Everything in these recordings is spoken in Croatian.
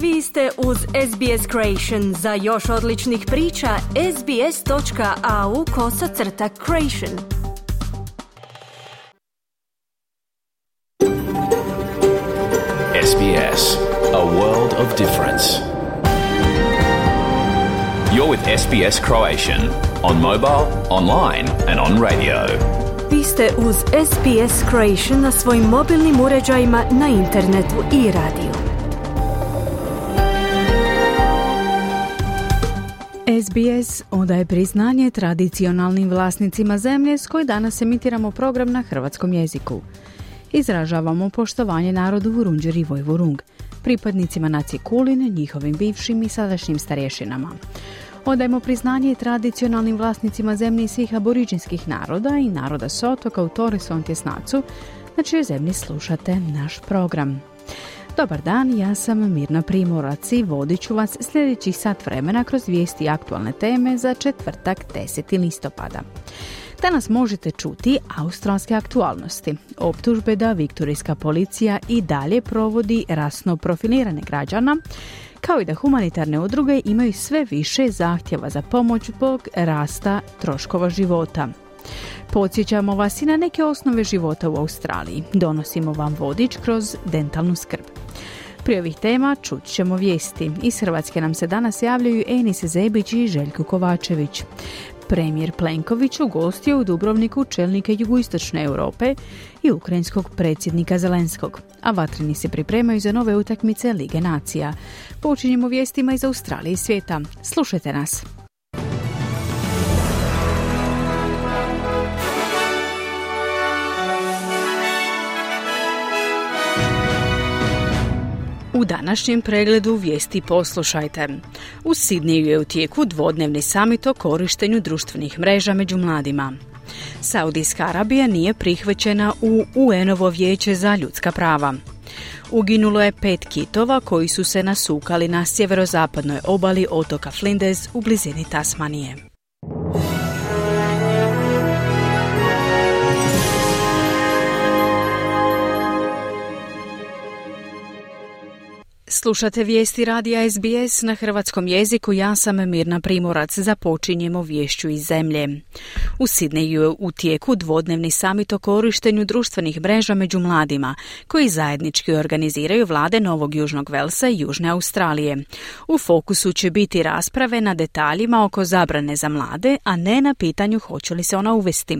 Vi ste uz SBS Creation. Za još odličnih priča, sbs.au/creation. SBS, a world of difference. You're with SBS Croatian on mobile, online and on radio. Vi ste uz SBS Creation na svojim mobilnim uređajima, na internetu i radiju. SBS odaje priznanje tradicionalnim vlasnicima zemlje s koje danas emitiramo program na hrvatskom jeziku. Izražavamo poštovanje narodu Vurundjeri Vojvurung, pripadnicima nacije Kulin, njihovim bivšim i sadašnjim starješinama. Odajemo priznanje tradicionalnim vlasnicima zemlji svih aboriđinskih naroda i naroda s otoka u Torres Strait Islandu, na čijoj zemlji slušate naš program. Dobar dan, ja sam Mirna Primorac i vodit ću vas sljedećih sat vremena kroz vijesti i aktualne teme za četvrtak 10. listopada. Danas možete čuti australske aktualnosti, optužbe da viktorijska policija i dalje provodi rasno profilirane građana, kao i da humanitarne udruge imaju sve više zahtjeva za pomoć zbog rasta troškova života. Podsjećamo vas i na neke osnove života u Australiji. Donosimo vam vodič kroz dentalnu skrb. Prije ovih tema čut ćemo vijesti. Iz Hrvatske nam se danas javljaju Enis Zebić i Željko Kovačević. Premijer Plenković ugostio u Dubrovniku čelnike jugoistočne Europe i ukrajinskog predsjednika Zelenskog, a vatreni se pripremaju za nove utakmice Lige nacija. Počinjemo vijestima iz Australije i svijeta. Slušajte nas. U današnjem pregledu vijesti poslušajte. U Sidneju je u tijeku dvodnevni samit o korištenju društvenih mreža među mladima. Saudijska Arabija nije prihvaćena u UN-ovo vijeće za ljudska prava. Uginulo je 5 kitova koji su se nasukali na sjeverozapadnoj obali otoka Flinders u blizini Tasmanije. Slušate vijesti radija SBS na hrvatskom jeziku, ja sam Mirna Primorac, započinjemo viješću iz zemlje. U Sidneju je u tijeku dvodnevni samit o korištenju društvenih mreža među mladima, koji zajednički organiziraju vlade Novog Južnog Velsa i Južne Australije. U fokusu će biti rasprave na detaljima oko zabrane za mlade, a ne na pitanju hoće li se ona uvesti.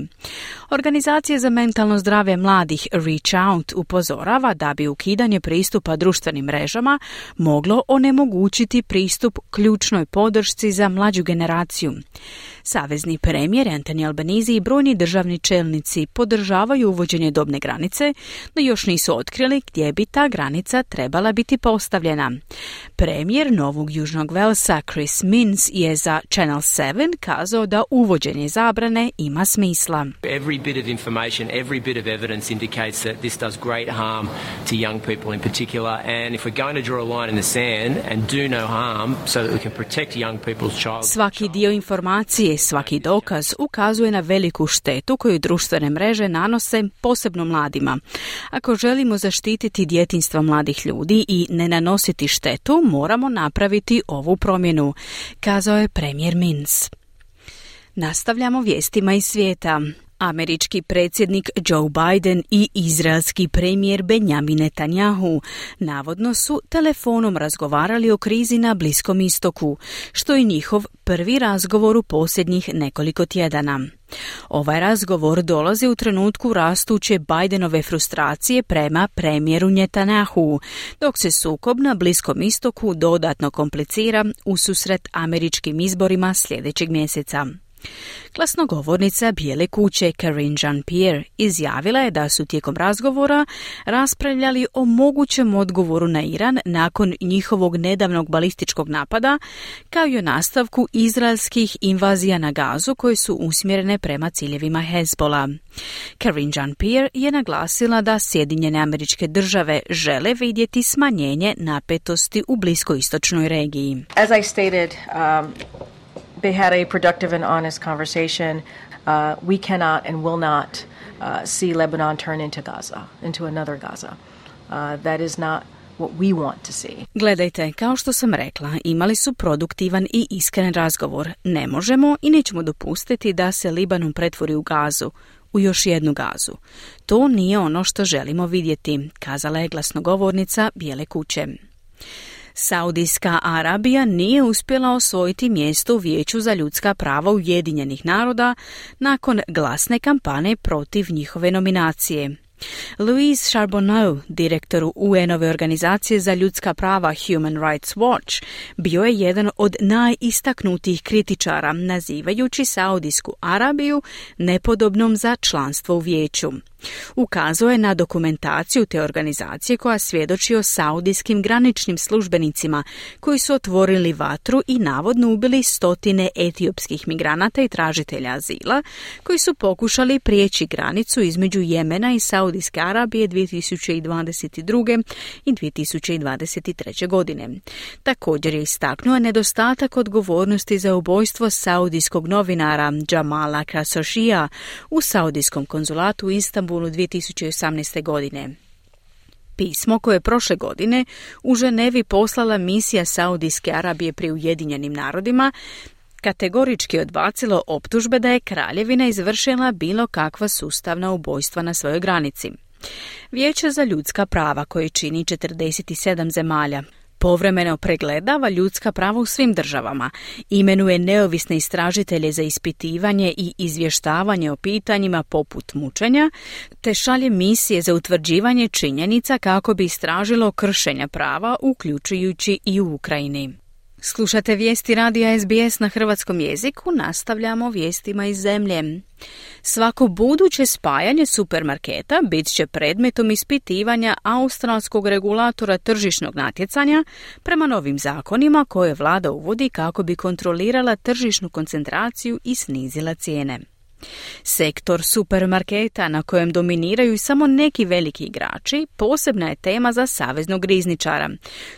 Organizacija za mentalno zdravlje mladih Reach Out upozorava da bi ukidanje pristupa društvenim mrežama moglo onemogućiti pristup ključnoj podršci za mlađu generaciju. Savezni premijer Anthony Albanese i brojni državni čelnici podržavaju uvođenje dobne granice, no još nisu otkrili gdje bi ta granica trebala biti postavljena. Premijer Novog Južnog Velsa Chris Minns je za Channel 7 kazao da uvođenje zabrane ima smisla. Every bit of information, every bit of evidence indicates that this does great harm to young people in particular, and if we're going to draw a line in the sand and do no harm so that we can protect young people's child. Svaki dio informacije, svaki dokaz ukazuje na veliku štetu koju društvene mreže nanose posebno mladima. Ako želimo zaštititi djetinjstva mladih ljudi i ne nanositi štetu, moramo napraviti ovu promjenu, kazao je premijer Minns. Nastavljamo vijestima iz svijeta. Američki predsjednik Joe Biden i izraelski premijer Benjamin Netanyahu navodno su telefonom razgovarali o krizi na Bliskom istoku, što je njihov prvi razgovor u posljednjih nekoliko tjedana. Ovaj razgovor dolazi u trenutku rastuće Bidenove frustracije prema premijeru Netanyahu, dok se sukob na Bliskom istoku dodatno komplicira ususret američkim izborima sljedećeg mjeseca. Glasnogovornica Bijele kuće Karine Jean-Pierre izjavila je da su tijekom razgovora raspravljali o mogućem odgovoru na Iran nakon njihovog nedavnog balističkog napada, kao i o nastavku izraelskih invazija na Gazu koje su usmjerene prema ciljevima Hezbola. Karine Jean-Pierre je naglasila da Sjedinjene Američke Države žele vidjeti smanjenje napetosti u bliskoistočnoj regiji. As I stated, they had a productive and honest conversation. We cannot and will not see Lebanon turn into Gaza, into another Gaza. That is not what we want to see. Gledajte, kao što sam rekla, imali su produktivan i iskren razgovor. Ne možemo i nećemo dopustiti da se Libanon pretvori u Gazu, u još jednu Gazu. To nije ono što želimo vidjeti, kazala je glasnogovornica Bijele kuće. Saudijska Arabija nije uspjela osvojiti mjesto u Vijeću za ljudska prava Ujedinjenih naroda nakon glasne kampanje protiv njihove nominacije. Louise Charbonneau, direktor UN-ove organizacije za ljudska prava Human Rights Watch, bio je jedan od najistaknutijih kritičara, nazivajući Saudijsku Arabiju nepodobnom za članstvo u vijeću. Ukazao je na dokumentaciju te organizacije koja svjedoči o saudijskim graničnim službenicima koji su otvorili vatru i navodno ubili stotine etiopskih migranata i tražitelja azila koji su pokušali prijeći granicu između Jemena i Saudijske Arabije 2022. i 2023. godine. Također je istaknuo nedostatak odgovornosti za ubojstvo saudijskog novinara Jamala Khashoggija u saudijskom konzulatu u Istanbulu 2018. godine. Pismo koje je prošle godine u Ženevi poslala misija Saudijske Arabije pri Ujedinjenim narodima kategorički odbacilo optužbe da je kraljevina izvršila bilo kakva sustavna ubojstva na svojoj granici. Vijeće za ljudska prava, koje čini 47 zemalja, povremeno pregledava ljudska prava u svim državama, imenuje neovisne istražitelje za ispitivanje i izvještavanje o pitanjima poput mučenja, te šalje misije za utvrđivanje činjenica kako bi istražilo kršenja prava, uključujući i u Ukrajini. Slušate vijesti radija SBS na hrvatskom jeziku, nastavljamo vijestima iz zemlje. Svako buduće spajanje supermarketa bit će predmetom ispitivanja australskog regulatora tržišnog natjecanja prema novim zakonima koje vlada uvodi kako bi kontrolirala tržišnu koncentraciju i snizila cijene. Sektor supermarketa, na kojem dominiraju samo neki veliki igrači, posebna je tema za saveznog rizničara,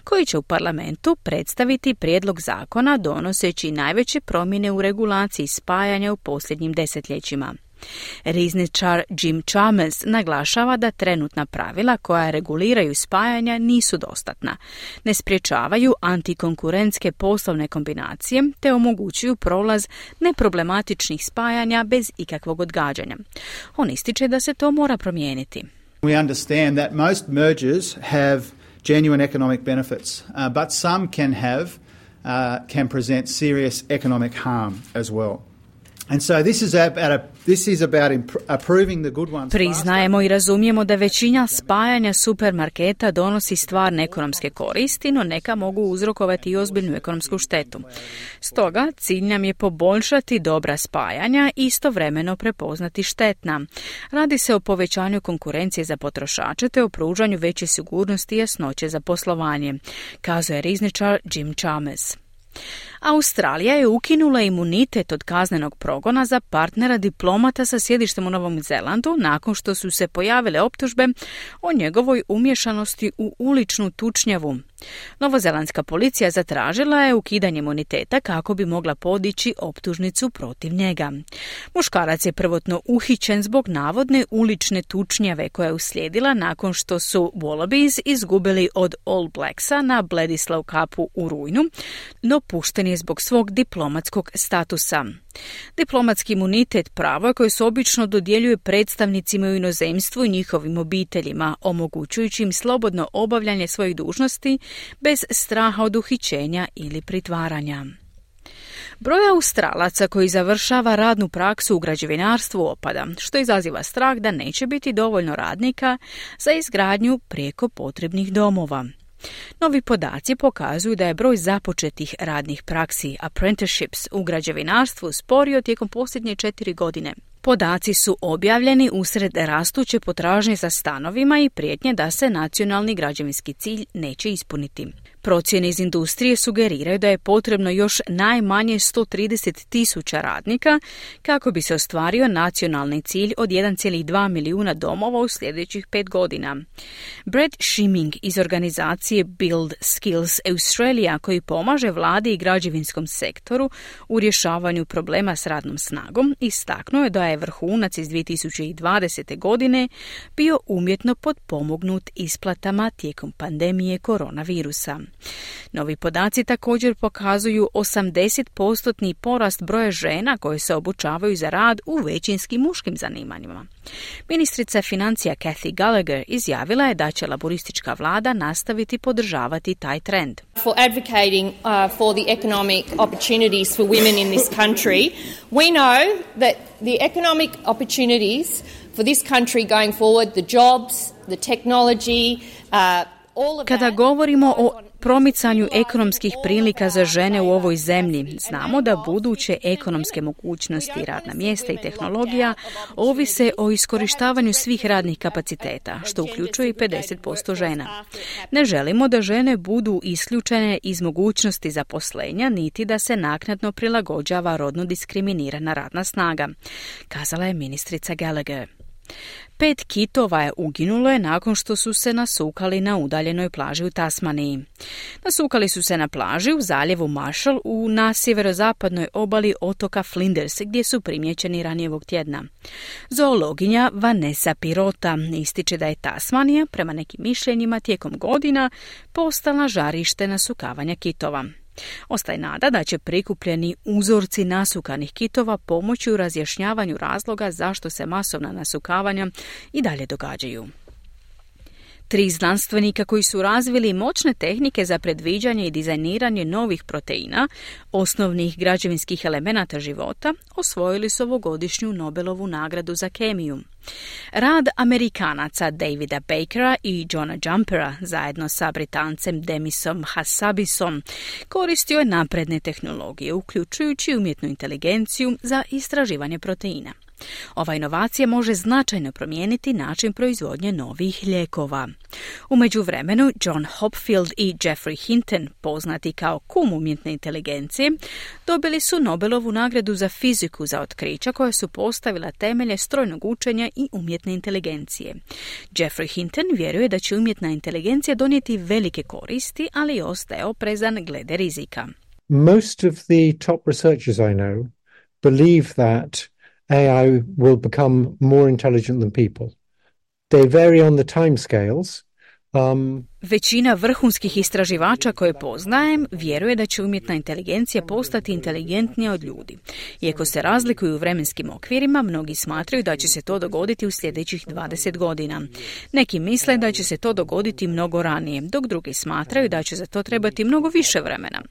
koji će u parlamentu predstaviti prijedlog zakona donoseći najveće promjene u regulaciji spajanja u posljednjim desetljećima. Rizničar Jim Chalmers naglašava da trenutna pravila koja reguliraju spajanja nisu dostatna, ne sprječavaju antikonkurentske poslovne kombinacije te omogućuju prolaz neproblematičnih spajanja bez ikakvog odgađanja. On ističe da se to mora promijeniti. We understand that most mergers have genuine economic benefits, but some can present serious economic harm as well. And so this is about approving the good ones. Priznajemo i razumijemo da većina spajanja supermarketa donosi stvarne ekonomske koristi, no neka mogu uzrokovati i ozbiljnu ekonomsku štetu. Stoga, cilj nam je poboljšati dobra spajanja i istovremeno prepoznati štetna. Radi se o povećanju konkurencije za potrošače te o pružanju veće sigurnosti i jasnoće za poslovanje, kazuje rizničar Jim Chalmers. Australija je ukinula imunitet od kaznenog progona za partnera diplomata sa sjedištem u Novom Zelandu nakon što su se pojavile optužbe o njegovoj umješanosti u uličnu tučnjavu. Novozelandska policija zatražila je ukidanje imuniteta kako bi mogla podići optužnicu protiv njega. Muškarac je prvotno uhićen zbog navodne ulične tučnjave koja je uslijedila nakon što su Wallabies izgubili od All Blacksa na Bledisloe Cupu u rujnu, no pušten je zbog svog diplomatskog statusa. Diplomatski imunitet pravo je koje se obično dodjeljuje predstavnicima u inozemstvu i njihovim obiteljima, omogućujući im slobodno obavljanje svojih dužnosti bez straha od uhićenja ili pritvaranja. Broj Australaca koji završava radnu praksu u građevinarstvu opada, što izaziva strah da neće biti dovoljno radnika za izgradnju prijeko potrebnih domova. Novi podaci pokazuju da je broj započetih radnih praksi, apprenticeships, u građevinarstvu sporio tijekom posljednje 4 godine. Podaci su objavljeni usred rastuće potražnje za stanovima i prijetnje da se nacionalni građevinski cilj neće ispuniti. Procjene iz industrije sugeriraju da je potrebno još najmanje 130.000 radnika kako bi se ostvario nacionalni cilj od 1,2 milijuna domova u sljedećih 5 godina. Brad Schimming iz organizacije Build Skills Australia, koji pomaže vladi i građevinskom sektoru u rješavanju problema s radnom snagom, istaknuo je da je vrhunac iz 2020. godine bio umjetno potpomognut isplatama tijekom pandemije koronavirusa. Novi podaci također pokazuju 80% porast broja žena koje se obučavaju za rad u većinski muškim zanimanjima. Ministrica financija Kathy Gallagher izjavila je da će laboristička vlada nastaviti podržavati taj trend. For advocating for the economic opportunities for women in this country, we know that the economic opportunities for this country going forward, the jobs, the technology, all of that. Kada govorimo o promicanju ekonomskih prilika za žene u ovoj zemlji, znamo da buduće ekonomske mogućnosti, radna mjesta i tehnologija ovise o iskorištavanju svih radnih kapaciteta, što uključuje i 50% žena. Ne želimo da žene budu isključene iz mogućnosti zaposlenja, niti da se naknadno prilagođava rodno diskriminirana radna snaga, kazala je ministrica Gallagher. 5 kitova je uginulo nakon što su se nasukali na udaljenoj plaži u Tasmaniji. Nasukali su se na plaži u zaljevu Marshall na sjeverozapadnoj obali otoka Flinders, gdje su primijećeni ranije ovog tjedna. Zoologinja Vanessa Pirota ističe da je Tasmanija, prema nekim mišljenjima, tijekom godina postala žarište nasukavanja kitova. Ostaje nada da će prikupljeni uzorci nasukanih kitova pomoći u razjašnjavanju razloga zašto se masovna nasukavanja i dalje događaju. 3 znanstvenika koji su razvili moćne tehnike za predviđanje i dizajniranje novih proteina, osnovnih građevinskih elemenata života, osvojili su ovogodišnju Nobelovu nagradu za kemiju. Rad Amerikanaca Davida Bakera i Johna Jumpera zajedno sa Britancem Demisom Hassabisom koristio je napredne tehnologije, uključujući umjetnu inteligenciju za istraživanje proteina. Ova inovacija može značajno promijeniti način proizvodnje novih lijekova. U međuvremenu, John Hopfield i Geoffrey Hinton, poznati kao kum umjetne inteligencije, dobili su Nobelovu nagradu za fiziku za otkrića koja su postavila temelje strojnog učenja i umjetne inteligencije. Geoffrey Hinton vjeruje da će umjetna inteligencija donijeti velike koristi, ali ostaje oprezan glede rizika. Most of the top researchers I know believe that AI will become more intelligent than people. They vary on the timescales. Većina vrhunskih istraživača koje poznajem vjeruje da će umjetna inteligencija postati inteligentnija od ljudi. Iako se razlikuju u vremenskim okvirima, mnogi smatraju da će se to dogoditi u sljedećih 20 godina. Neki misle da će se to dogoditi mnogo ranije, dok drugi smatraju da će za to trebati mnogo više vremena.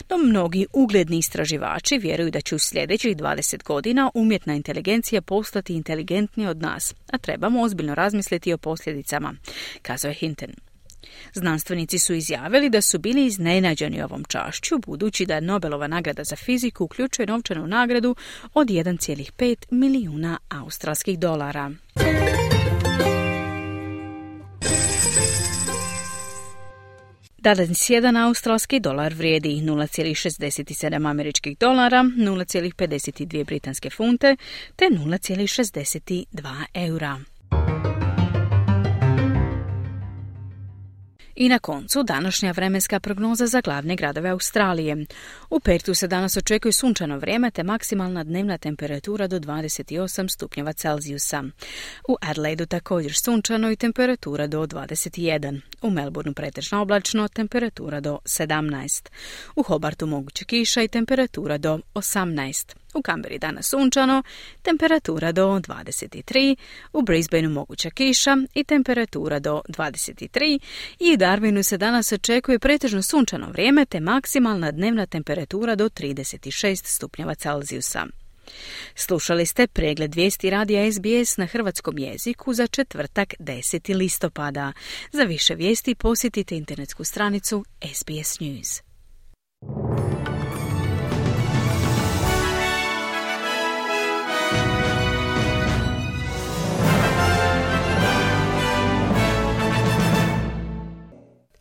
No mnogi ugledni istraživači vjeruju da će u sljedećih 20 godina umjetna inteligencija postati inteligentnija od nas, a trebamo ozbiljno razmisliti o posljedicama, kazao je Hinton. Znanstvenici su izjavili da su bili iznenađeni ovom čašću, budući da Nobelova nagrada za fiziku uključuje novčanu nagradu od 1,5 milijuna australskih dolara. Danas jedan australski dolar vrijedi 0,67 američkih dolara, 0,52 britanske funte te 0,62 eura. I na koncu današnja vremenska prognoza za glavne gradove Australije. U Pertu se danas očekuje sunčano vrijeme te maksimalna dnevna temperatura do 28 stupnjeva Celzijusa. U Adelaidu također sunčano i temperatura do 21. U Melbourneu pretežno oblačno, temperatura do 17. U Hobartu moguće kiša i temperatura do 18. U Canberri danas sunčano, temperatura do 23, u Brisbaneu moguća kiša i temperatura do 23 i u Darwinu se danas očekuje pretežno sunčano vrijeme te maksimalna dnevna temperatura do 36 stupnjeva Celzijusa. Slušali ste pregled vijesti radija SBS na hrvatskom jeziku za četvrtak 10. listopada. Za više vijesti posjetite internetsku stranicu SBS News.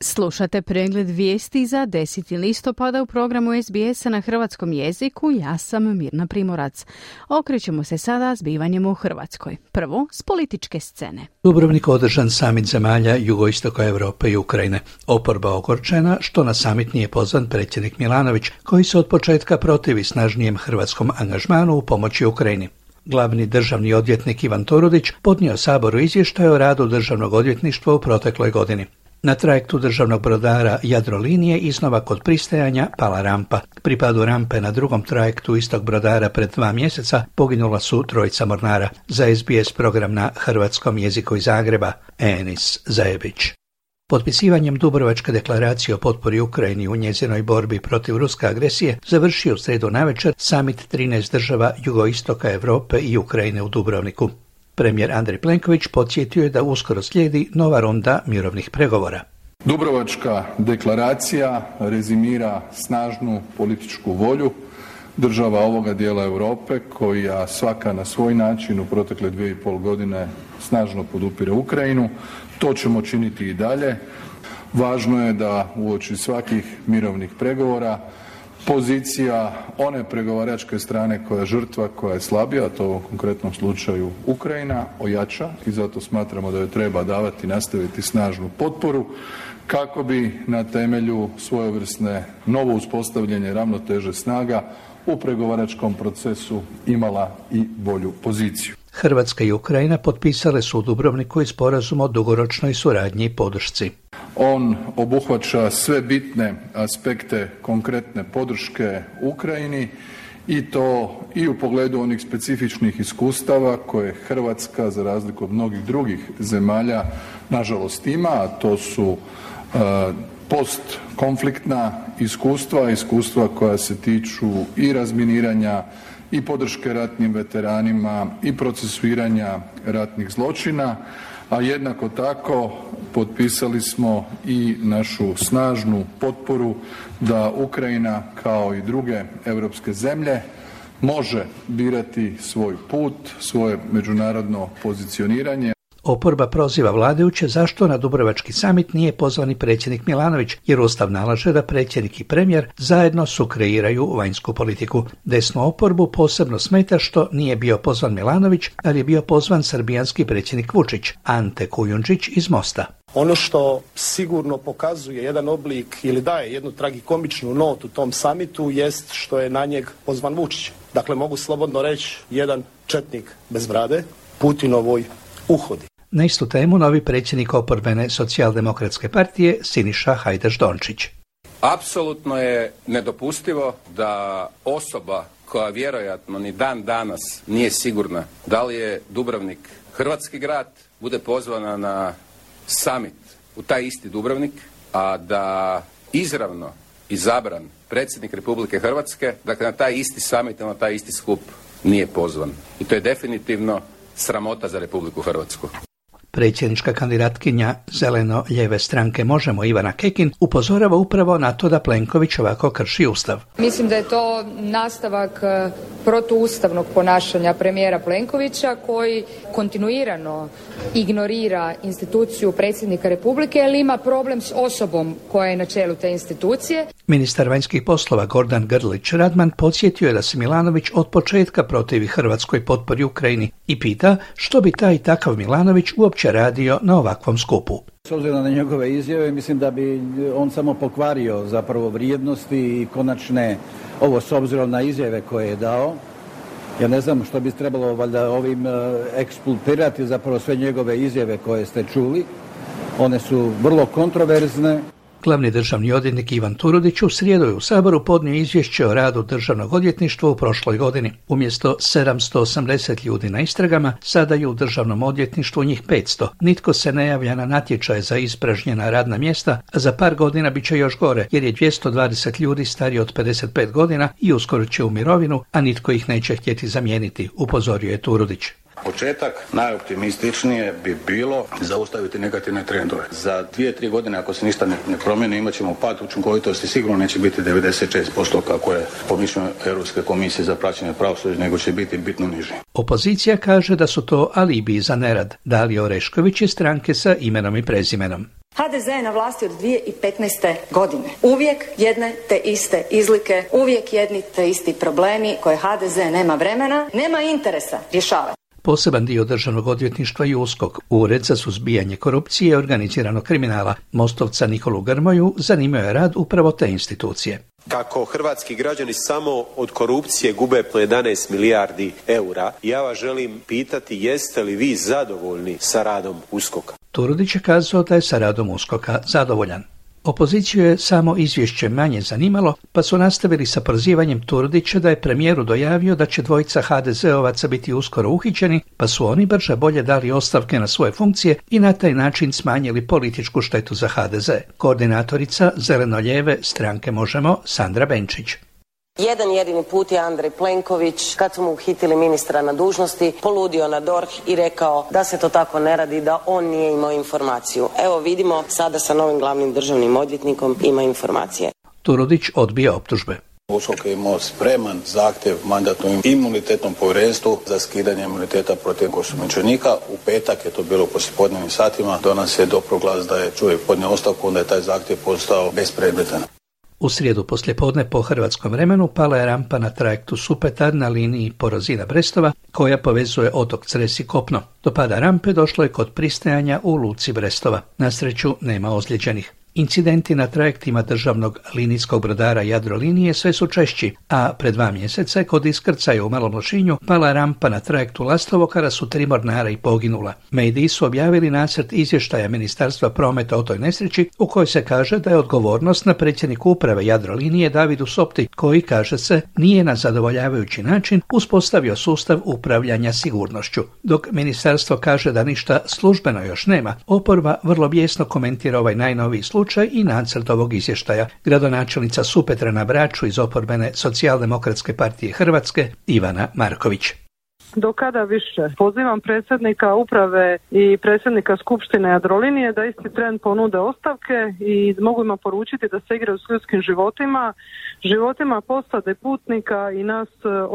Slušate pregled vijesti za 10. listopada u programu SBS-a na hrvatskom jeziku. Ja sam Mirna Primorac. Okrećemo se sada zbivanjem u Hrvatskoj. Prvo, s političke scene. Dubrovnik održan samit zemalja jugoistoka Europe i Ukrajine. Oporba ogorčena što na samit nije pozvan predsjednik Milanović, koji se od početka protivi snažnijem hrvatskom angažmanu u pomoći Ukrajini. Glavni državni odvjetnik Ivan Turudić podnio Saboru izvještaj o radu državnog odvjetništva u protekloj godini. Na trajektu državnog brodara Jadrolinije iznova kod pristajanja pala rampa. Pri padu rampe na drugom trajektu istog brodara pred 2 mjeseca poginula su 3 mornara. Za SBS program na hrvatskom jeziku iz Zagreba, Enis Zajebić. Potpisivanjem Dubrovačke deklaracije o potpori Ukrajini u njezinoj borbi protiv ruske agresije završio u srijedu navečer samit 13 država jugoistoka Europe i Ukrajine u Dubrovniku. Premijer Andrej Plenković podsjetio je da uskoro slijedi nova runda mirovnih pregovora. Dubrovačka deklaracija rezimira snažnu političku volju država ovoga dijela Europe koja svaka na svoj način u protekle 2,5 godine snažno podupire Ukrajinu. To ćemo činiti i dalje. Važno je da uoči svakih mirovnih pregovora pozicija one pregovaračke strane koja je žrtva, koja je slabija, a to u konkretnom slučaju Ukrajina, ojača i zato smatramo da joj treba nastaviti snažnu potporu kako bi na temelju svojevrsne novo uspostavljene ravnoteže snaga u pregovaračkom procesu imala i bolju poziciju. Hrvatska i Ukrajina potpisale su u Dubrovniku i sporazum o dugoročnoj suradnji i podršci. On obuhvaća sve bitne aspekte konkretne podrške Ukrajini i to i u pogledu onih specifičnih iskustava koje Hrvatska, za razliku od mnogih drugih zemalja, nažalost ima, a to su postkonfliktna iskustva koja se tiču i razminiranja i podrške ratnim veteranima i procesuiranja ratnih zločina, a jednako tako potpisali smo i našu snažnu potporu da Ukrajina kao i druge europske zemlje može birati svoj put, svoje međunarodno pozicioniranje. Oporba proziva vladajuće zašto na Dubrovački samit nije pozvani predsjednik Milanović, jer Ustav nalaže da predsjednik i premijer zajedno sukreiraju vanjsku politiku. Desnu oporbu posebno smeta što nije bio pozvan Milanović, ali je bio pozvan srbijanski predsjednik Vučić, Ante Kujundžić iz Mosta. Ono što sigurno pokazuje jedan oblik ili daje jednu tragikomičnu notu tom samitu jest što je na njeg pozvan Vučić. Dakle, mogu slobodno reći jedan četnik bez brade, Putinovoj uhodi. Na istu temu novi predsjednik oporbene socijaldemokratske partije Siniša Hajdaš-Dončić. Apsolutno je nedopustivo da osoba koja vjerojatno ni dan danas nije sigurna da li je Dubrovnik hrvatski grad, bude pozvana na summit u taj isti Dubrovnik, a da izravno izabran predsjednik Republike Hrvatske, dakle na taj isti summit, na taj isti skup nije pozvan. I to je definitivno sramota za Republiku Hrvatsku. Predsjednička kandidatkinja zeleno-lijeve stranke Možemo Ivana Kekin upozorava upravo na to da Plenković ovako krši Ustav. Mislim da je to nastavak protuustavnog ponašanja premijera Plenkovića koji kontinuirano ignorira instituciju predsjednika Republike jer ima problem s osobom koja je na čelu te institucije. Ministar vanjskih poslova Gordan Grlić-Radman podsjetio je da se Milanović od početka protivi Hrvatskoj potpori Ukrajini i pita što bi taj i takav Milanović uopće radio na ovakvom skupu. S obzirom na njegove izjave, mislim da bi on samo pokvario zapravo vrijednosti i konačne, ovo s obzirom na izjave koje je dao. Ja ne znam što bi trebalo valjda ovim ekspulpirati zapravo sve njegove izjave koje ste čuli. One su vrlo kontroverzne. Glavni državni odvjetnik Ivan Turudić u srijedu je u Saboru podnio izvješće o radu državnog odvjetništva u prošloj godini. Umjesto 780 ljudi na istragama, sada je u državnom odvjetništvu njih 500. Nitko se ne javlja na natječaje za ispražnjena radna mjesta, a za par godina bit će još gore, jer je 220 ljudi stariji od 55 godina i uskoro će u mirovinu, a nitko ih neće htjeti zamijeniti, upozorio je Turudić. Početak najoptimističnije bi bilo zaustaviti negativne trendove. Za 2-3 godine ako se ništa ne promijeni imat ćemo pad učinkovitosti, sigurno neće biti 96% kako je po mišljenju Europske komisije za praćenje pravosuđa, nego će biti bitno niži. Opozicija kaže da su to alibi za nerad. Dalija Orešković je stranke sa imenom i prezimenom. HDZ je na vlasti od 2015. godine. Uvijek jedne te iste izlike, uvijek jedni te isti problemi koje HDZ nema vremena, nema interesa rješavati. Poseban dio državnog odvjetništva i USKOK, Ured za suzbijanje korupcije i organiziranog kriminala, Mostovca Nikolu Grmoju zanimao je rad upravo te institucije. kako hrvatski građani samo od korupcije gube po 11 milijardi eura. Ja vas želim pitati, jeste li vi zadovoljni sa radom USKOK-a? Turudić je kazao da je sa radom USKOK-a zadovoljan. Opoziciju je samo izvješće manje zanimalo, pa su nastavili sa prozivanjem Turudića da je premijeru dojavio da će dvojica HDZ-ovaca biti uskoro uhićeni, pa su oni brže bolje dali ostavke na svoje funkcije i na taj način smanjili političku štetu za HDZ. Koordinatorica zeleno-lijeve stranke Možemo, Sandra Benčić. Jedan jedini put je Andrej Plenković, kad su mu uhitili ministra na dužnosti, poludio na DORH i rekao da se to tako ne radi, da on nije imao informaciju. Evo vidimo, sada sa novim glavnim državnim odvjetnikom ima informacije. Turudić odbija optužbe. USKOK je imao spreman zahtjev Mandatno-imunitetnom povjerenstvu za skidanje imuniteta protiv osumnjičenika. U petak je to bilo u poslijepodnevnim satima. Do nas je dopro glas da je čovjek podnio ostavku, onda je taj zahtjev postao bespredmetan. U srijedu poslijepodne po hrvatskom vremenu pala je rampa na trajektu Supetar na liniji Porozina-Brestova koja povezuje otok Cres i kopno. Do pada rampe došlo je kod pristajanja u luci Brestova. Na sreću nema ozlijeđenih. Incidenti na trajektima državnog linijskog brodara Jadrolinije sve su češći, a pred 2 mjeseca kod iskrcaja u Malom Lošinju pala rampa na trajektu Lastovo kada su 3 mornara i poginula. Mediji su objavili nacrt izvještaja Ministarstva prometa o toj nesreći u kojoj se kaže da je odgovornost na predsjedniku uprave Jadrolinije Davidu Sopti, koji, kaže se, nije na zadovoljavajući način uspostavio sustav upravljanja sigurnošću. Dok ministarstvo kaže da ništa službeno još nema, oporba vrlo bijesno komentira ovaj najnoviji slučaj i nacrt ovog izvještaja. Gradonačelnica Supetra na Braču iz oporbene Socijaldemokratske partije Hrvatske Ivana Marković. Do kada više? Pozivam predsjednika uprave i predsjednika Skupštine Jadrolinije da isti tren ponude ostavke i mogu im poručiti da se igraju s ljudskim životima posade putnika i nas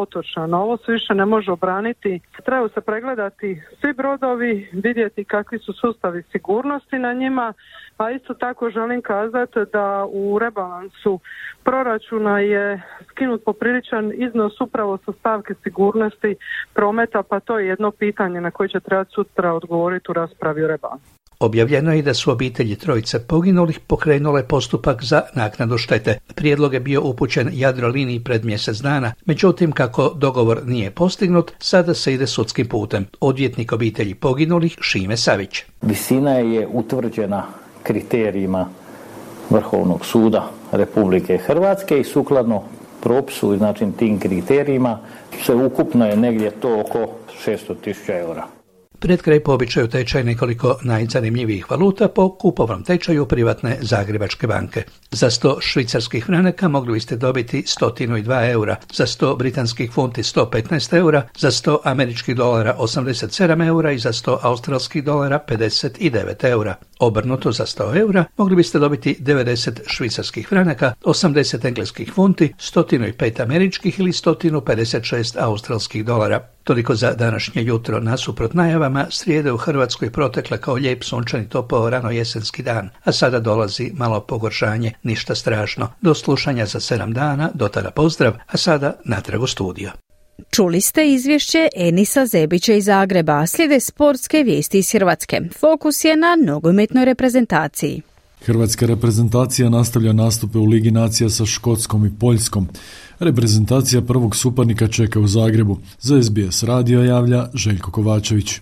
otočana. Ovo se više ne može obraniti. Trebaju se pregledati svi brodovi, vidjeti kakvi su sustavi sigurnosti na njima, a isto tako želim kazati da u rebalansu proračuna je skinut popriličan iznos upravo sa stavke sigurnosti prometa, pa to je jedno pitanje na koje će trebati sutra odgovoriti u raspravi o rebalansu. Objavljeno je i da su obitelji trojice poginulih pokrenule postupak za naknadu štete. Prijedlog je bio upućen Jadroliniji pred mjesec dana, međutim kako dogovor nije postignut, sada se ide sudskim putem. Odvjetnik obitelji poginulih Šime Savić. Visina je utvrđena kriterijima Vrhovnog suda Republike Hrvatske i sukladno propisu i znači tim kriterijima sve ukupno je negdje to oko 600.000 eura. Pred kraj po običaju tečaj nekoliko najzanimljivijih valuta po kupovnom tečaju privatne Zagrebačke banke. Za 100 švicarskih franaka mogli biste dobiti 102 eura, za 100 britanskih funti 115 eura, za 100 američkih dolara 87 eura i za 100 australskih dolara 59 eura. Obrnuto, za 100 eura mogli biste dobiti 90 švicarskih franaka, 80 engleskih funti, 105 američkih ili 156 australskih dolara. Toliko za današnje jutro. Nasuprot najavama, srijede u Hrvatskoj protekla kao lijep sunčani topao rano jesenski dan, a sada dolazi malo pogoršanje, ništa strašno. Do slušanja za 7 dana, do tada pozdrav, a sada natrag u studio. Čuli ste izvješće Enisa Zebića iz Zagreba, slijede sportske vijesti iz Hrvatske. Fokus je na nogometnoj reprezentaciji. Hrvatska reprezentacija nastavlja nastupe u Ligi nacija sa Škotskom i Poljskom. Reprezentacija prvog suparnika čeka u Zagrebu. Za SBS radio javlja Željko Kovačević.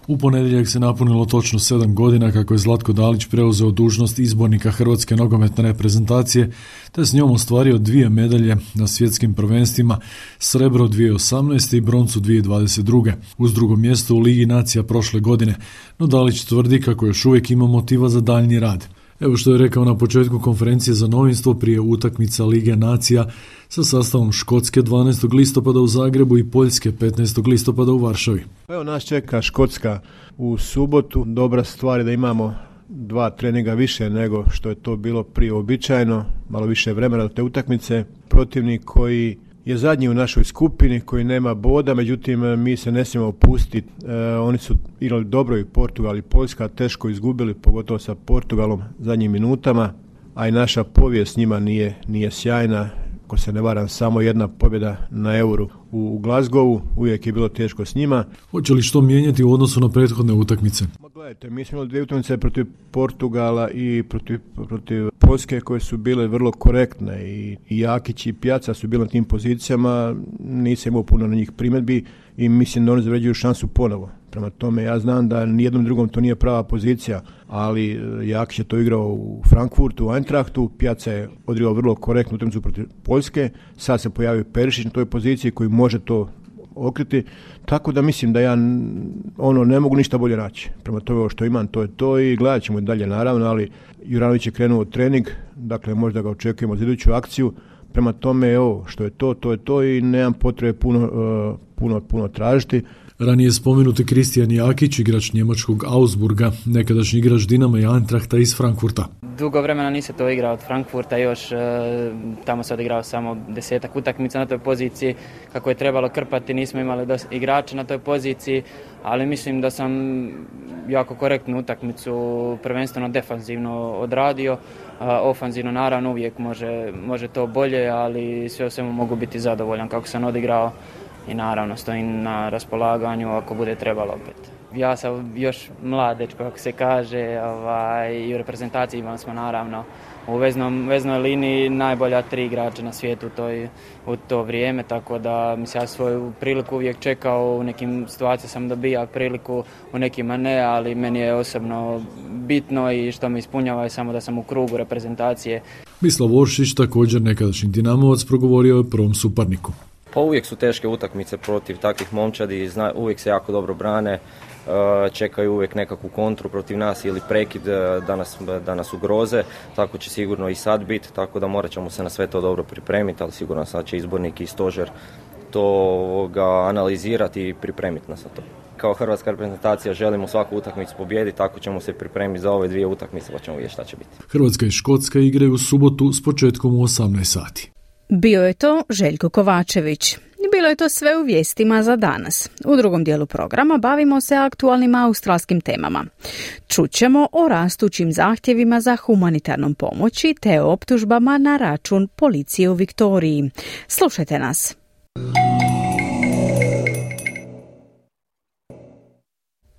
U ponedjeljak se napunilo točno 7 godina kako je Zlatko Dalić preuzeo dužnost izbornika Hrvatske nogometne reprezentacije, te s njom ostvario 2 medalje na svjetskim prvenstvima, srebro 2018. i broncu 2022. uz drugo mjesto u Ligi nacija prošle godine, no Dalić tvrdi kako još uvijek ima motiva za daljnji rad. Evo što je rekao na početku konferencije za novinstvo prije utakmica Lige nacija sa sastavom Škotske 12. listopada u Zagrebu i Poljske 15. listopada u Varšavi. Evo nas čeka Škotska u subotu. Dobra stvar je da imamo 2 treninga više nego što je to bilo prije uobičajeno, malo više vremena do te utakmice. Protivnik koji je zadnji u našoj skupini, koji nema boda, međutim mi se ne smijemo opustiti. Oni su igrali dobro i Portugal i Poljska, teško izgubili, pogotovo sa Portugalom zadnjim minutama, a i naša povijest njima nije sjajna. Ako se ne varam, samo jedna pobjeda na Euru u Glasgowu, uvijek je bilo teško s njima. Hoće li što mijenjati u odnosu na prethodne utakmice? Gledajte, mi smo imali 2 utakmice protiv Portugala i protiv Poljske koje su bile vrlo korektne i Jakić i Pjaca su bili na tim pozicijama, nisam imao puno na njih primjedbi i mislim da oni zavređuju šansu ponovo. Prema tome ja znam da nijednom drugom to nije prava pozicija, ali Jakić je to igrao u Frankfurtu, u Eintrachtu, Pjaca je odigrao vrlo korektnu utakmicu protiv Poljske, sad se pojavio Perišić na toj poziciji koji može to okriti, tako da mislim da ja ne mogu ništa bolje naći. Prema tome ovo što imam to je to i gledat ćemo dalje naravno, ali Juranović je krenuo trening, dakle možda ga očekujemo za iduću akciju, prema tome ovo što je to je to i nemam potrebe puno tražiti. Ranije spomenuti Kristijan Jakić, igrač njemačkog Augsburga, nekadašnji igrač Dinama i Eintrachta iz Frankfurta. Dugo vremena nisam to igrao od Frankfurta, još tamo sam odigrao samo 10 utakmica na toj poziciji, kako je trebalo krpati, nismo imali dosta igrača na toj poziciji, ali mislim da sam jako korektnu utakmicu, prvenstveno defanzivno odradio, ofanzivno naravno uvijek može to bolje, ali sve o svemu mogu biti zadovoljan kako sam odigrao. I naravno stojim na raspolaganju ako bude trebalo opet. Ja sam još mlad dečko, kako se kaže, i u reprezentaciji imali smo naravno u veznoj liniji najbolja 3 igrača na svijetu u to vrijeme, tako da mislim ja svoju priliku uvijek čekao, u nekim situacijama sam dobija priliku, u nekima ne, ali meni je osobno bitno i što me ispunjava je samo da sam u krugu reprezentacije. Mislav Oršić, također nekadašnji Dinamovac, progovorio je o prvom suparniku. Pa uvijek su teške utakmice protiv takvih momčadi, uvijek se jako dobro brane, čekaju uvijek nekakvu kontru protiv nas ili prekid da nas ugroze, tako će sigurno i sad biti, tako da morat ćemo se na sve to dobro pripremiti, ali sigurno sad će izbornik i stožer to analizirati i pripremiti nas na to. Kao hrvatska reprezentacija želimo svaku utakmicu pobijediti, tako ćemo se pripremiti za ove 2 utakmice, pa ćemo vidjeti šta će biti. Hrvatska i Škotska igraju u subotu s početkom u 18 sati. Bio je to Željko Kovačević. I bilo je to sve u vijestima za danas. U drugom dijelu programa bavimo se aktualnim australskim temama. Čućemo o rastućim zahtjevima za humanitarnom pomoći te o optužbama na račun policije u Viktoriji. Slušajte nas.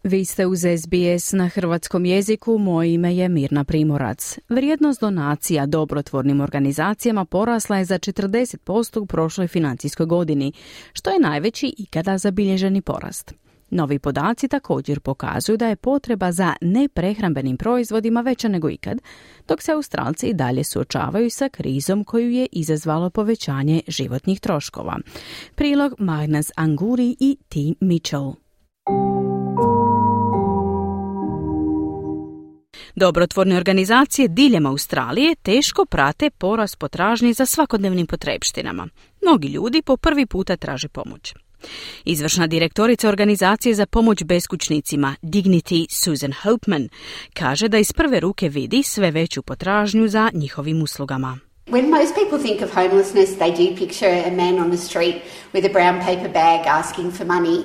Vi ste uz SBS na hrvatskom jeziku, moje ime je Mirna Primorac. Vrijednost donacija dobrotvornim organizacijama porasla je za 40% u prošloj financijskoj godini, što je najveći ikada zabilježeni porast. Novi podaci također pokazuju da je potreba za neprehrambenim proizvodima veća nego ikad, dok se Australci i dalje suočavaju sa krizom koju je izazvalo povećanje životnih troškova. Prilog Magnus Anguri i T. Mitchell. Dobrotvorne organizacije diljem Australije teško prate porast potražnje za svakodnevnim potrepštinama. Mnogi ljudi po prvi puta traže pomoć. Izvršna direktorica organizacije za pomoć beskućnicima Dignity Susan Hopeman kaže da iz prve ruke vidi sve veću potražnju za njihovim uslugama. When most people think of homelessness, they do picture a man on the street with a brown paper bag asking for money.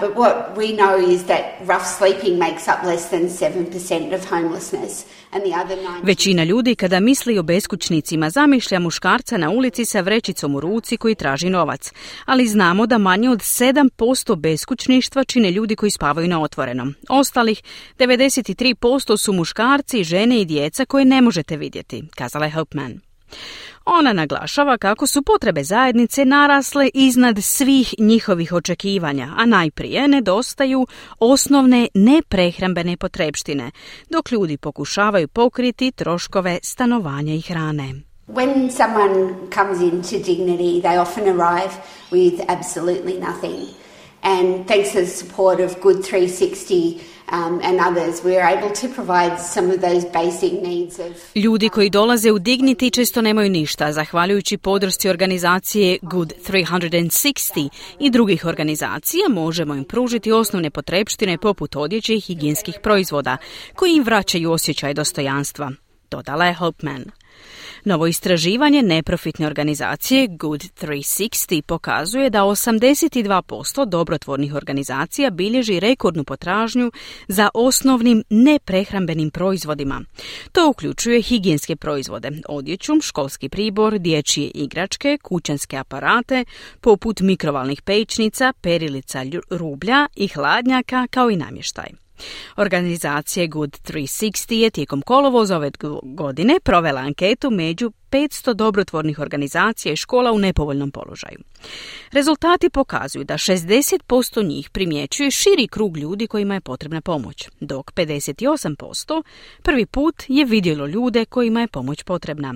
But what we know is that rough sleeping makes up less than 7% of homelessness. And the other 9%... Većina ljudi kada misli o beskućnicima zamišlja muškarca na ulici sa vrećicom u ruci koji traži novac. Ali znamo da manje od 7% beskućništva čine ljudi koji spavaju na otvorenom. Ostalih 93% su muškarci, žene i djeca koje ne možete vidjeti, kazala je Hopeman. Ona naglašava kako su potrebe zajednice narasle iznad svih njihovih očekivanja, a najprije nedostaju osnovne neprehrambene potrepštine, dok ljudi pokušavaju pokriti troškove stanovanja i hrane. When someone comes into Dignity, they often arrive with absolutely nothing. And thanks to the support of Good 360 and others, we are able to provide some of those basic needs of... Ljudi koji dolaze u Dignity često nemaju ništa, zahvaljujući podršci organizacije Good 360 i drugih organizacija možemo im pružiti osnovne potrepštine poput odjeće i higijenskih proizvoda, koji im vraćaju osjećaj dostojanstva, dodala je Hopeman. Novo istraživanje neprofitne organizacije Good 360 pokazuje da 82% dobrotvornih organizacija bilježi rekordnu potražnju za osnovnim neprehrambenim proizvodima. To uključuje higijenske proizvode, odjeću, školski pribor, dječje igračke, kućanske aparate, poput mikrovalnih pećnica, perilica rublja i hladnjaka, kao i namještaj. Organizacija Good 360 je tijekom kolovoza ove godine provela anketu među 500 dobrotvornih organizacija i škola u nepovoljnom položaju. Rezultati pokazuju da 60% njih primjećuje širi krug ljudi kojima je potrebna pomoć, dok 58% prvi put je vidjelo ljude kojima je pomoć potrebna.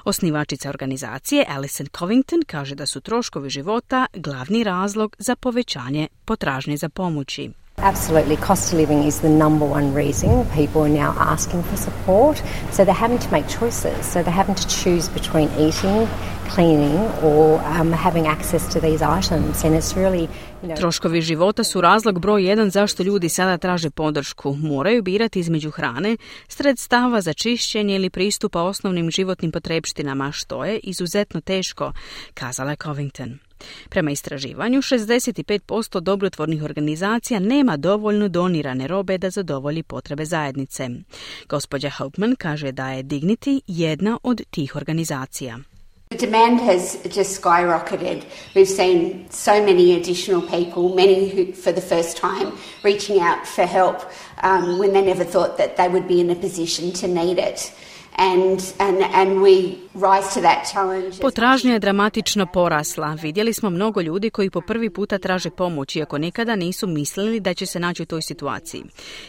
Osnivačica organizacije Alison Covington kaže da su troškovi života glavni razlog za povećanje potražnje za pomoći. Absolutely, cost of living is the number one reason people are now asking for support. So they're having to make choices. So they're having to choose between eating, cleaning or having access to these items. And it's really, Troškovi života su razlog broj 1 zašto ljudi sada traže podršku. Moraju birati između hrane, sredstava za čišćenje ili pristupa osnovnim životnim potrepštinama, što je izuzetno teško, kazala je Covington. Prema istraživanju, 65% dobrotvornih organizacija nema dovoljno donirane robe da zadovolji potrebe zajednice. Gospođa Hopeman kaže da je Dignity jedna od tih organizacija. The demand has just skyrocketed. We've seen so many additional people, many who for the first time reaching out for help when they never thought that they would be in a position to need it. And we rise to that challenge. Potražnja je dramatično porasla. Vidjeli smo mnogo ljudi koji po prvi puta traže pomoć, iako nikada nisu mislili da će se naći u toj situaciji.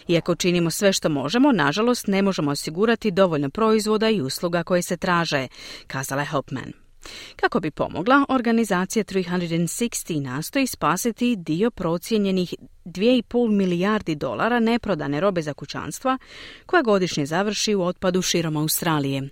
Iako činimo sve što možemo, nažalost ne možemo osigurati dovoljno proizvoda i usluga koje se traže, kazala je Hopeman. Kako bi pomogla, organizacija 360 nastoji spasiti dio procijenjenih $2,5 milijardi neprodane robe za kućanstva koja godišnje završi u otpadu širom Australije.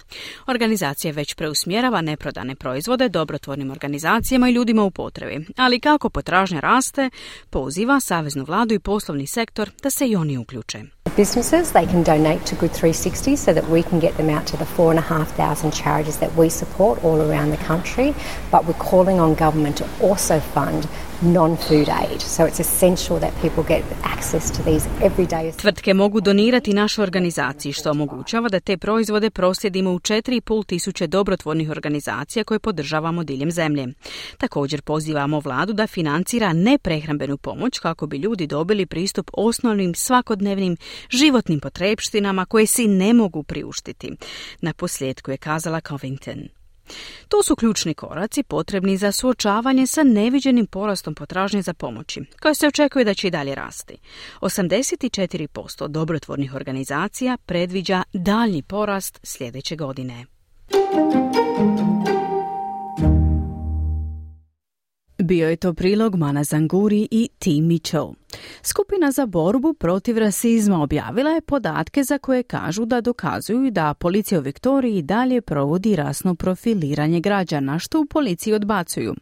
Organizacija već preusmjerava neprodane proizvode dobrotvornim organizacijama i ljudima u potrebi, ali kako potražnja raste, poziva saveznu vladu i poslovni sektor da se i oni uključe. Businesses, they can donate to Good 360 so that we can get them out to the 4,500 charities that we support all around the country, but we're calling on government to also fund non-food aid. So it's essential that people get access to these everyday. Tvrtke mogu donirati našoj organizaciji, što omogućava da te proizvode proslijedimo u 4.500 dobrotvornih organizacija koje podržavamo diljem zemlje. Također pozivamo vladu da financira neprehrambenu pomoć kako bi ljudi dobili pristup osnovnim svakodnevnim životnim potrepštinama koje si ne mogu priuštiti. Na posljedku je kazala Covington. To su ključni koraci potrebni za suočavanje sa neviđenim porastom potražnje za pomoći, koja se očekuje da će i dalje rasti. 84% dobrotvornih organizacija predviđa daljnji porast sljedeće godine. Bio je to prilog Mana Zanguri i Tim Mitchell. Skupina za borbu protiv rasizma objavila je podatke za koje kažu da dokazuju da policija u Viktoriji dalje provodi rasno profiliranje građana, što u policiji odbacuju.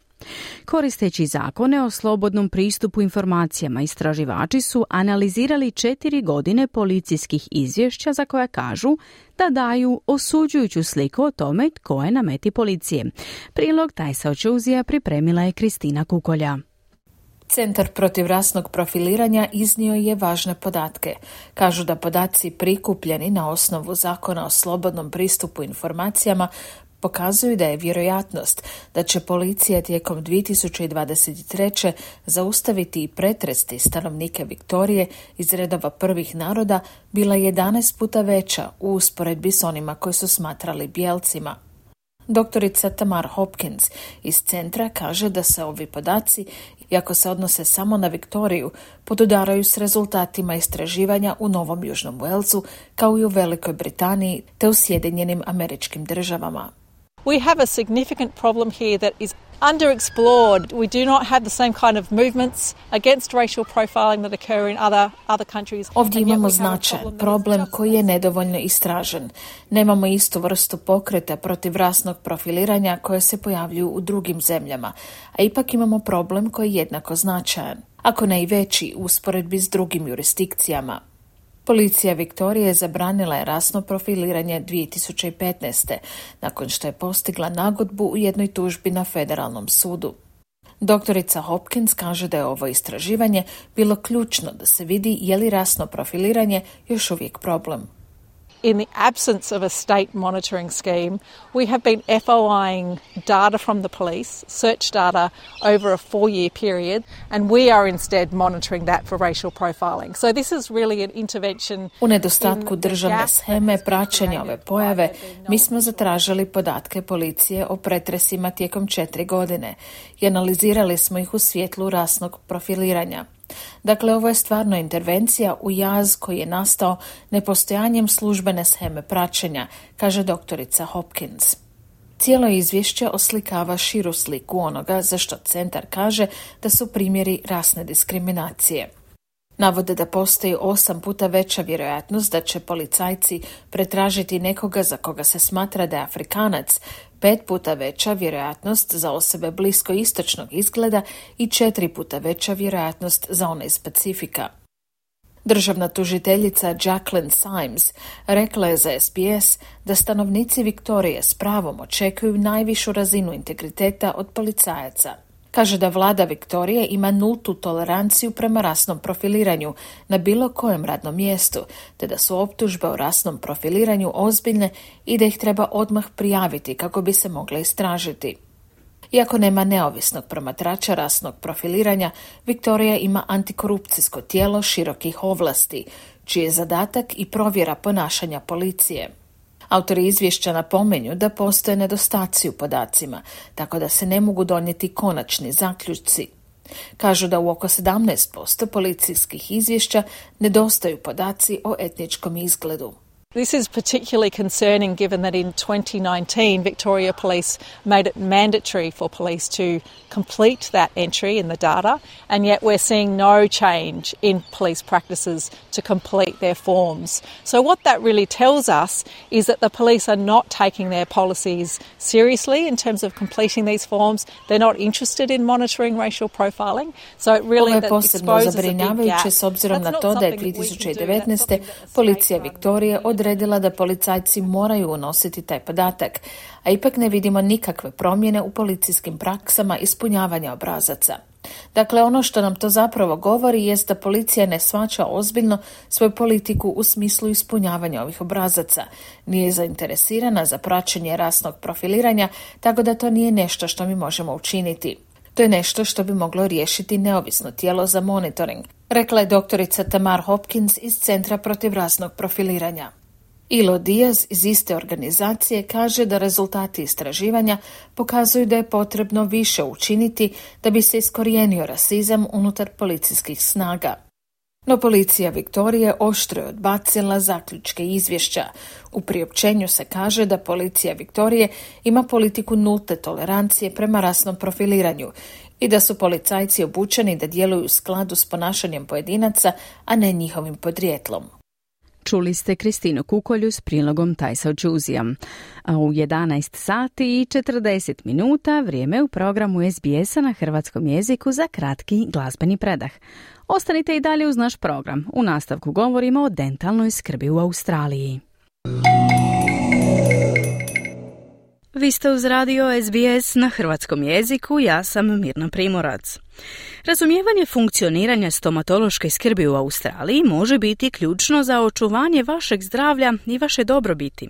Koristeći zakone o slobodnom pristupu informacijama, istraživači su analizirali 4 godine policijskih izvješća za koja kažu da daju osuđujuću sliku o tome tko je na meti policije. Prilog Tajsa Očuzija pripremila je Kristina Kukolja. Centar protiv rasnog profiliranja iznio je važne podatke. Kažu da podaci prikupljeni na osnovu zakona o slobodnom pristupu informacijama pokazuju da je vjerojatnost da će policija tijekom 2023. zaustaviti i pretresti stanovnike Viktorije iz redova prvih naroda bila 11 puta veća u usporedbi s onima koji su smatrali bijelcima. Doktorica Tamar Hopkins iz centra kaže da se ovi podaci, iako se odnose samo na Viktoriju, podudaraju s rezultatima istraživanja u Novom Južnom Walesu, kao i u Velikoj Britaniji te u Sjedinjenim Američkim Državama. We have a significant problem here that is underexplored. We do not have the same kind of movements against racial profiling that occur in other countries. Ovdje imamo značajan problem koji je nedovoljno istražen. Nemamo istu vrstu pokreta protiv rasnog profiliranja koje se pojavljuju u drugim zemljama, a ipak imamo problem koji je jednako značajan, ako ne i veći u usporedbi s drugim jurisdikcijama. Policija Viktorije zabranila je rasno profiliranje 2015. nakon što je postigla nagodbu u jednoj tužbi na federalnom sudu. Doktorica Hopkins kaže da je ovo istraživanje bilo ključno da se vidi je li rasno profiliranje još uvijek problem. in the absence of a state monitoring scheme, we have been FOIing data from the police, search data, over a 4-year period, and we are instead monitoring that for racial profiling. So this is really an intervention. U nedostatku državne sheme praćenja ove pojave, mi smo zatražili podatke policije o pretresima tijekom 4 godine i analizirali smo ih u svjetlu rasnog profiliranja. Dakle, ovo je stvarno intervencija u jaz koji je nastao nepostojanjem službene sheme praćenja, kaže doktorica Hopkins. Cijelo izvješće oslikava širu sliku onoga za što centar kaže da su primjeri rasne diskriminacije. Navode da postoji 8 puta veća vjerojatnost da će policajci pretražiti nekoga za koga se smatra da je Afrikanac, 5 puta veća vjerojatnost za osobe bliskoistočnog izgleda i 4 puta veća vjerojatnost za one iz Pacifika. Državna tužiteljica Jacqueline Symes rekla je za SBS da stanovnici Viktorije s pravom očekuju najvišu razinu integriteta od policajaca. Kaže da vlada Viktorije ima nultu toleranciju prema rasnom profiliranju na bilo kojem radnom mjestu, te da su optužbe o rasnom profiliranju ozbiljne i da ih treba odmah prijaviti kako bi se mogle istražiti. Iako nema neovisnog promatrača rasnog profiliranja, Viktorija ima antikorupcijsko tijelo širokih ovlasti, čiji je zadatak i provjera ponašanja policije. Autori izvješća napominju da postoje nedostaci u podacima, tako da se ne mogu donijeti konačni zaključci. Kažu da u oko 17% policijskih izvješća nedostaju podaci o etničkom izgledu. This is particularly concerning given that in 2019 Victoria Police made it mandatory for police to complete that entry in the data, and yet we're seeing no change in police practices to complete their forms. So what that really tells us is that the police are not taking their policies seriously in terms of completing these forms. They're not interested in monitoring racial profiling. So it really Ovo je posebno zabrinjavajuće s obzirom na to da je 2019. policija Viktorije odredila da policajci moraju unositi taj podatak, a ipak ne vidimo nikakve promjene u policijskim praksama ispunjavanja obrazaca. Dakle, ono što nam to zapravo govori jest da policija ne shvaća ozbiljno svoju politiku u smislu ispunjavanja ovih obrazaca. Nije zainteresirana za praćenje rasnog profiliranja, tako da to nije nešto što mi možemo učiniti. To je nešto što bi moglo riješiti neovisno tijelo za monitoring, rekla je doktorica Tamar Hopkins iz Centra protiv rasnog profiliranja. Ilo Diaz iz iste organizacije kaže da rezultati istraživanja pokazuju da je potrebno više učiniti da bi se iskorijenio rasizam unutar policijskih snaga. No policija Viktorije oštro je odbacila zaključke izvješća. U priopćenju se kaže da policija Viktorije ima politiku nulte tolerancije prema rasnom profiliranju i da su policajci obučeni da djeluju u skladu s ponašanjem pojedinaca, a ne njihovim podrijetlom. Čuli ste Kristinu Kukolju s prilogom Tajsa Džuzija. A u 11 sati i 40 minuta vrijeme u programu SBS-a na hrvatskom jeziku za kratki glazbeni predah. Ostanite i dalje uz naš program. U nastavku govorimo o dentalnoj skrbi u Australiji. Vi ste uz radio SBS na hrvatskom jeziku, ja sam Mirna Primorac. Razumijevanje funkcioniranja stomatološke skrbi u Australiji može biti ključno za očuvanje vašeg zdravlja i vaše dobrobiti.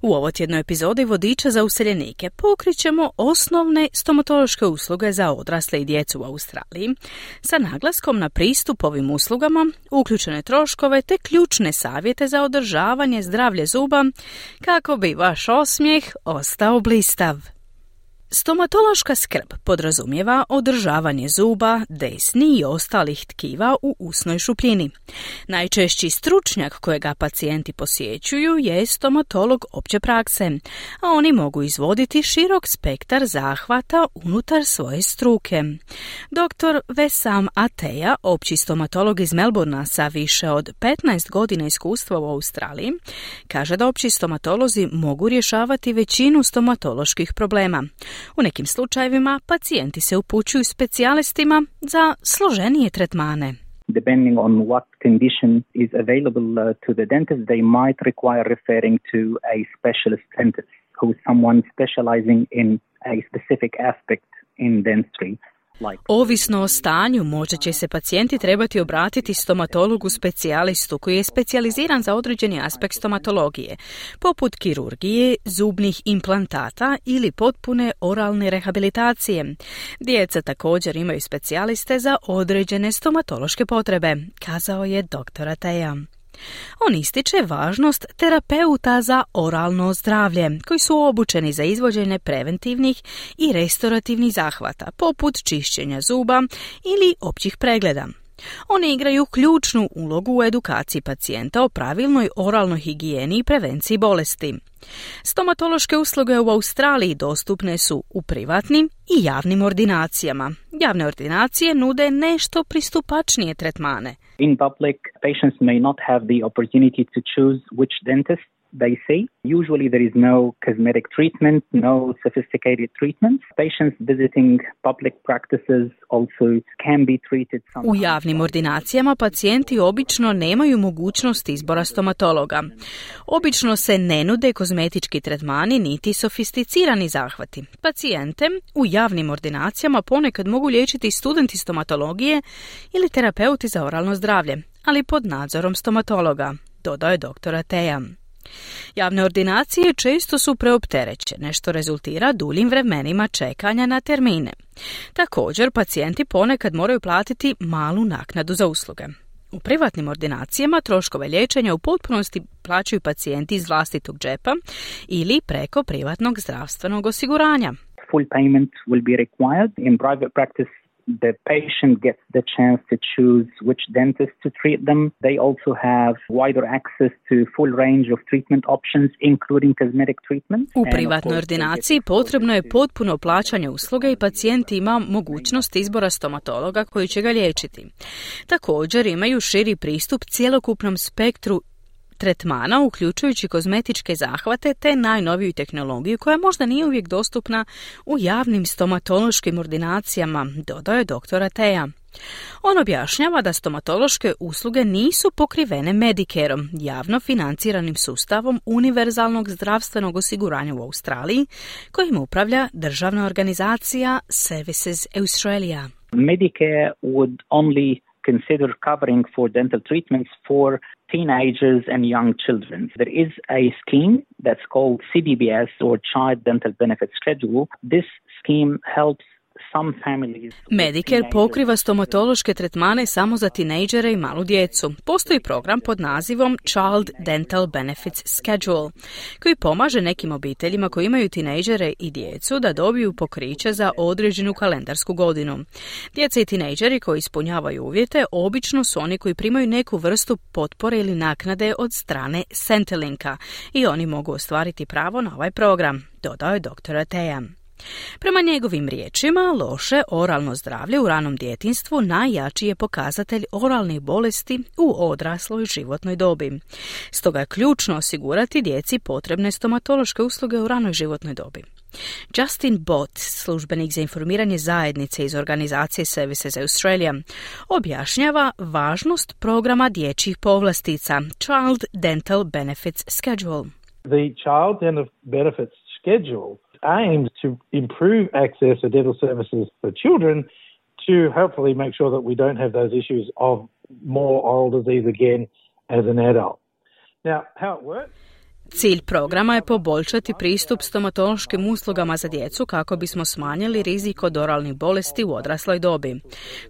U ovotjednoj epizodi Vodiča za useljenike pokrićemo osnovne stomatološke usluge za odrasle i djecu u Australiji, sa naglaskom na pristup ovim uslugama, uključene troškove te ključne savjete za održavanje zdravlja zuba kako bi vaš osmijeh ostao blistav. Stomatološka skrb podrazumijeva održavanje zuba, desni i ostalih tkiva u usnoj šupljini. Najčešći stručnjak kojega pacijenti posjećuju je stomatolog opće prakse, a oni mogu izvoditi širok spektar zahvata unutar svoje struke. Dr. Vesam Ateja, opći stomatolog iz Melbournea sa više od 15 godina iskustva u Australiji, kaže da opći stomatolozi mogu rješavati većinu stomatoloških problema. U nekim slučajevima pacijenti se upućuju specijalistima za složenije tretmane. Depending on what condition is available to the dentist, they might require referring to a specialist dentist who is someone specializing in a specific aspect in dentistry. Ovisno o stanju, možda će se pacijenti trebati obratiti stomatologu specijalistu koji je specijaliziran za određeni aspekt stomatologije, poput kirurgije, zubnih implantata ili potpune oralne rehabilitacije. Djeca također imaju specijaliste za određene stomatološke potrebe, kazao je dr. Ateja. On ističe važnost terapeuta za oralno zdravlje, koji su obučeni za izvođenje preventivnih i restorativnih zahvata, poput čišćenja zuba ili općih pregleda. Oni igraju ključnu ulogu u edukaciji pacijenta o pravilnoj oralnoj higijeni i prevenciji bolesti. Stomatološke usluge u Australiji dostupne su u privatnim i javnim ordinacijama. Javne ordinacije nude nešto pristupačnije tretmane. In public, patients may not have the opportunity to choose which dentist they see. Usually there is no cosmetic treatment, no sophisticated treatments. Patients visiting public practices also can be treated somehow. U javnim ordinacijama pacijenti obično nemaju mogućnost izbora stomatologa. Obično se ne nude kozmetički tretmani niti sofisticirani zahvati. Pacijente u javnim ordinacijama ponekad mogu liječiti studenti stomatologije ili terapeuti za oralno zdravlje, ali pod nadzorom stomatologa, dodao je dr. Ateja. Javne ordinacije često su preopterećene, što rezultira duljim vremenima čekanja na termine. Također, pacijenti ponekad moraju platiti malu naknadu za usluge. U privatnim ordinacijama troškove liječenja u potpunosti plaćaju pacijenti iz vlastitog džepa ili preko privatnog zdravstvenog osiguranja. Full payment will be required. In private practice, the patient gets the chance to choose which dentist to treat them. They also have wider access to full range of treatment options, including cosmetic treatment. U privatnoj ordinaciji potrebno je potpuno plaćanje usluge i pacijent ima mogućnost izbora stomatologa koji će ga liječiti. Također imaju širi pristup cjelokupnom spektru tretmana, uključujući kozmetičke zahvate te najnoviju tehnologiju koja možda nije uvijek dostupna u javnim stomatološkim ordinacijama, dodao je dr. Ateja. On objašnjava da stomatološke usluge nisu pokrivene Medicareom, javno financiranim sustavom univerzalnog zdravstvenog osiguranja u Australiji, kojim upravlja državna organizacija Services Australia. Medicare would only consider covering for dental treatments for teenagers and young children. There is a scheme that's called CDBS or Child Dental Benefit Schedule. This scheme helps Medicare pokriva stomatološke tretmane samo za tinejdžere i malu djecu. Postoji program pod nazivom Child Dental Benefits Schedule, koji pomaže nekim obiteljima koji imaju tinejdžere i djecu da dobiju pokriće za određenu kalendarsku godinu. Djeca i tinejdžeri koji ispunjavaju uvjete obično su oni koji primaju neku vrstu potpore ili naknade od strane Centrelinka i oni mogu ostvariti pravo na ovaj program, dodao je dr. Ateja. Prema njegovim riječima, loše oralno zdravlje u ranom djetinjstvu najjači je pokazatelj oralnih bolesti u odrasloj životnoj dobi. Stoga je ključno osigurati djeci potrebne stomatološke usluge u ranoj životnoj dobi. Justin Bott, službenik za informiranje zajednice iz organizacije Services Australia, objašnjava važnost programa dječjih povlastica Child Dental Benefits Schedule. The Child Dental Benefits Schedule aims to improve access to dental services for children to hopefully make sure that we don't have those issues of more oral disease again as an adult. Now, how it works? Cilj programa je poboljšati pristup stomatološkim uslugama za djecu kako bismo smanjili rizik od oralnih bolesti u odrasloj dobi.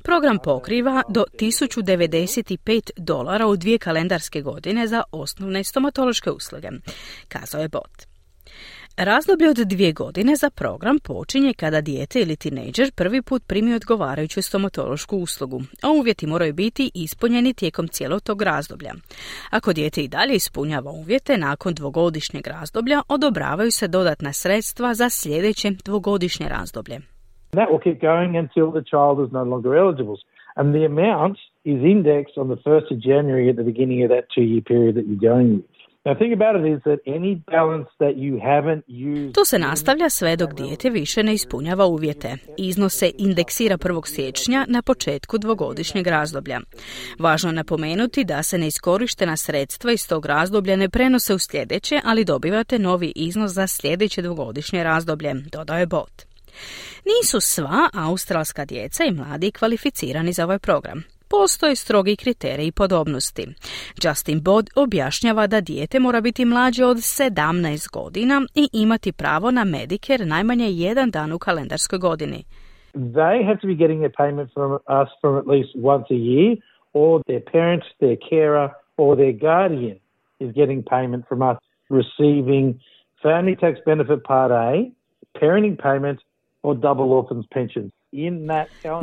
Program pokriva do $1095 u 2 kalendarske godine za osnovne stomatološke usluge, kazao je Bott. Razdoblje od 2 godine za program počinje kada dijete ili tinejdžer prvi put primi odgovarajuću stomatološku uslugu, a uvjeti moraju biti ispunjeni tijekom cijelog tog razdoblja. Ako dijete i dalje ispunjava uvjete, nakon 2-godišnjeg razdoblja odobravaju se dodatna sredstva za sljedeće 2-godišnje razdoblje. That will keep going until the child is no longer eligible. And the amount is indexed on the 1st of January at the beginning of that 2-year period that you're going with. To se nastavlja sve dok dijete više ne ispunjava uvjete. Iznos se indeksira 1. siječnja na početku 2-godišnjeg razdoblja. Važno je napomenuti da se neiskorištena sredstva iz tog razdoblja ne prenose u sljedeće, ali dobivate novi iznos za sljedeće 2-godišnje razdoblje, dodao je Bott. Nisu sva australska djeca i mladi kvalificirani za ovaj program. Postoje strogi kriteriji podobnosti. Justin Bod objašnjava da dijete mora biti mlađe od 17 godina i imati pravo na Medicare najmanje 1 dan u kalendarskoj godini. They have to be getting their payment from us from at least once a year, or their parent, their carer, or their guardian is getting payment from us, receiving Family Tax Benefit Part A, parenting payment, or double orphans pensions.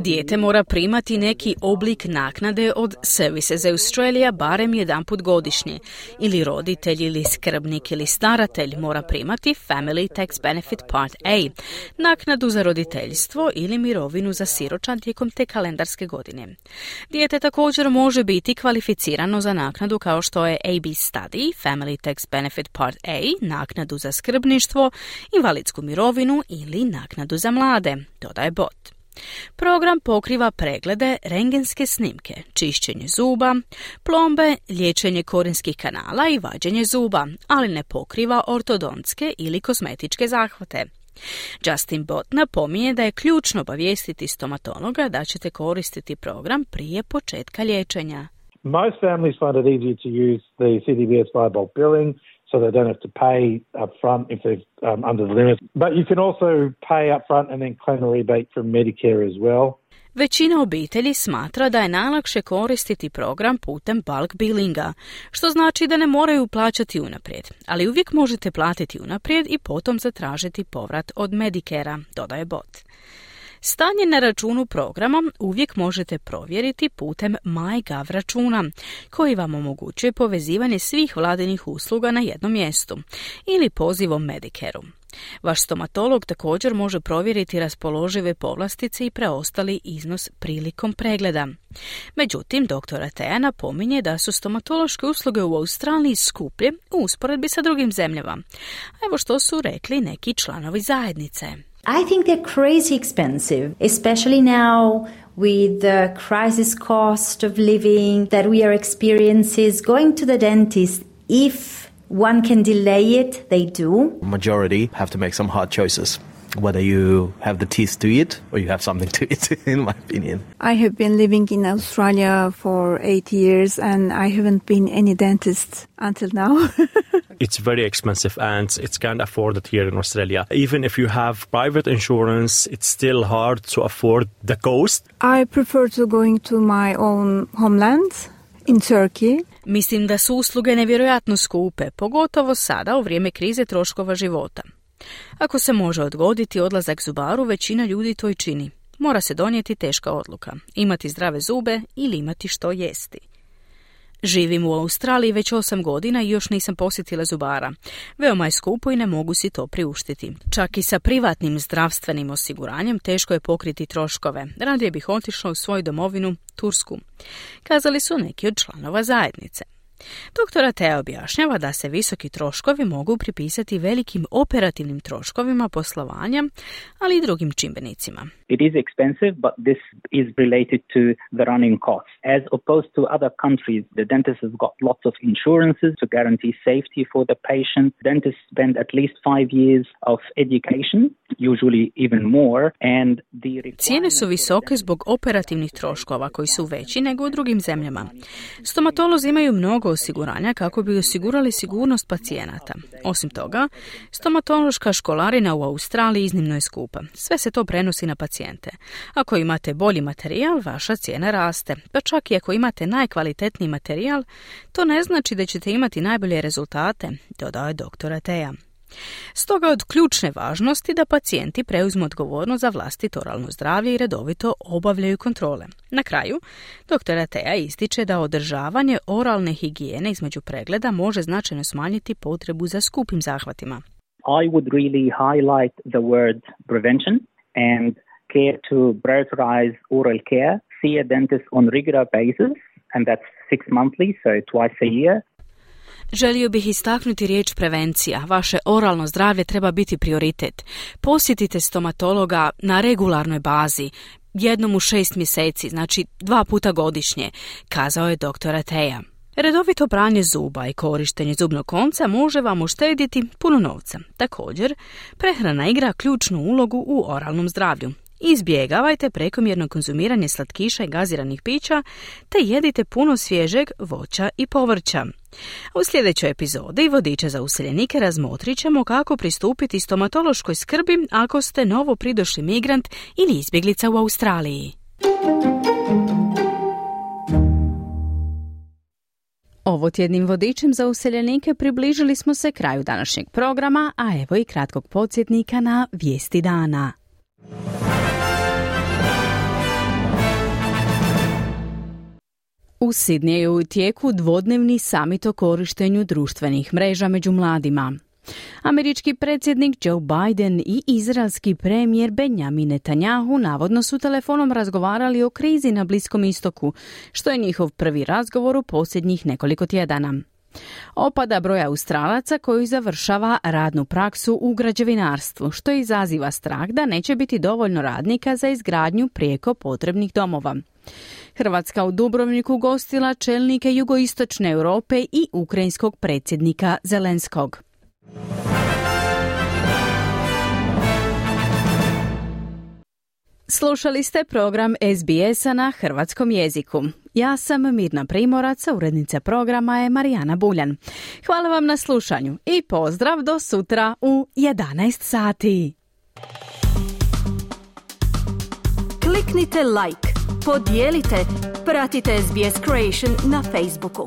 Dijete mora primati neki oblik naknade od Services Australia barem jedanput godišnje, ili roditelj ili skrbnik ili staratelj mora primati Family Tax Benefit Part A, naknadu za roditeljstvo ili mirovinu za siročad tijekom te kalendarske godine. Dijete također može biti kvalificirano za naknadu kao što je AB Study, Family Tax Benefit Part A, naknadu za skrbništvo, invalidsku mirovinu ili naknadu za mlade, dodaje Bot. Program pokriva preglede, rentgenske snimke, čišćenje zuba, plombe, liječenje korinskih kanala i vađenje zuba, ali ne pokriva ortodontske ili kozmetičke zahvate. Justin Bott napominje da je ključno obavijestiti stomatologa da ćete koristiti program prije početka liječenja. Most families find it easier to use the CDBS by bulk billing, so they don't have to pay up front if they're under the limit. But you can also pay up front and then claim a rebate from Medicare as well. Većina obitelji smatra da je najlakše koristiti program putem bulk billinga, što znači da ne moraju plaćati unaprijed, ali uvijek možete platiti unaprijed i potom zatražiti povrat od Medicarea, dodaje Bot. Stanje na računu programa uvijek možete provjeriti putem MyGov računa, koji vam omogućuje povezivanje svih vladinih usluga na jednom mjestu ili pozivom Medicareu. Vaš stomatolog također može provjeriti raspoložive povlastice i preostali iznos prilikom pregleda. Međutim, dr. Atea napominje da su stomatološke usluge u Australiji skuplje u usporedbi sa drugim zemljama. Evo što su rekli neki članovi zajednice. I think they're crazy expensive, especially now with the crisis cost of living that we are experiencing. Going to the dentist, if one can delay it, they do. Majority have to make some hard choices, whether you have the teeth to eat or you have something to eat, in my opinion. I have been living in Australia for 8 years and I haven't been any dentist until now. It's very expensive and it's can't afford it here in Australia. Even if you have private insurance, it's still hard to afford the cost. I prefer to going to my own homeland in Turkey. Mislim da su usluge nevjerojatno skupe, pogotovo sada u vrijeme krize troškova života. Ako se može odgoditi odlazak zubaru, većina ljudi to i čini. Mora se donijeti teška odluka, imati zdrave zube ili imati što jesti. Živim u Australiji već 8 godina i još nisam posjetila zubara. Veoma je skupo i ne mogu si to priuštiti. Čak i sa privatnim zdravstvenim osiguranjem teško je pokriti troškove. Radije bih otišla u svoju domovinu, Tursku, kazali su neki od članova zajednice. Dr. Atea objašnjava da se visoki troškovi mogu pripisati velikim operativnim troškovima poslovanja, ali i drugim čimbenicima. It is expensive, but this is related to the running costs. As opposed to other countries, the dentist has got lots of insurances to guarantee safety for the patient. Dentists spend at least 5 years of education, usually even more, and cijene su visoke zbog operativnih troškova koji su veći nego u drugim zemljama. Stomatolozi imaju mnogo osiguranja kako bi osigurali sigurnost pacijenata. Osim toga, stomatološka školarina u Australiji iznimno je skupa. Sve se to prenosi na pacijente. Ako imate bolji materijal, vaša cijena raste. Pa čak i ako imate najkvalitetniji materijal, to ne znači da ćete imati najbolje rezultate, dodao je dr. Atea. Stoga je od ključne važnosti da pacijenti preuzmu odgovornost za vlastito oralno zdravlje i redovito obavljaju kontrole. Na kraju, dr. Atea ističe da održavanje oralne higijene između pregleda može značajno smanjiti potrebu za skupim zahvatima. I would really highlight the word prevention and care to prioritize oral care. See a dentist on regular basis, and that's 6 monthly, so twice a year. Želio bih istaknuti riječ prevencija. Vaše oralno zdravlje treba biti prioritet. Posjetite stomatologa na regularnoj bazi, jednom u 6 mjeseci, znači 2 puta godišnje, kazao je dr. Atea. Redovito pranje zuba i korištenje zubnog konca može vam uštedjeti puno novca. Također, prehrana igra ključnu ulogu u oralnom zdravlju. Izbjegavajte prekomjerno konzumiranje slatkiša i gaziranih pića, te jedite puno svježeg voća i povrća. U sljedećoj epizodi Vodiča za useljenike razmotrit ćemo kako pristupiti stomatološkoj skrbi ako ste novo pridošli migrant ili izbjeglica u Australiji. Ovotjednim vodičem za useljenike približili smo se kraju današnjeg programa, a evo i kratkog podsjetnika na vijesti dana. U Sidneju je u tijeku dvodnevni samit o korištenju društvenih mreža među mladima. Američki predsjednik Joe Biden i izraelski premijer Benjamin Netanyahu navodno su telefonom razgovarali o krizi na Bliskom istoku, što je njihov prvi razgovor u posljednjih nekoliko tjedana. Opada broj Australaca koji završava radnu praksu u građevinarstvu, što izaziva strah da neće biti dovoljno radnika za izgradnju prijeko potrebnih domova. Hrvatska u Dubrovniku gostila čelnike jugoistočne Europe i ukrajinskog predsjednika Zelenskog. Slušali ste program SBS-a na hrvatskom jeziku. Ja sam Mirna Primorac, a urednica programa je Marijana Buljan. Hvala vam na slušanju i pozdrav do sutra u 11 sati. Kliknite like, podijelite, pratite SBS Creation na Facebooku.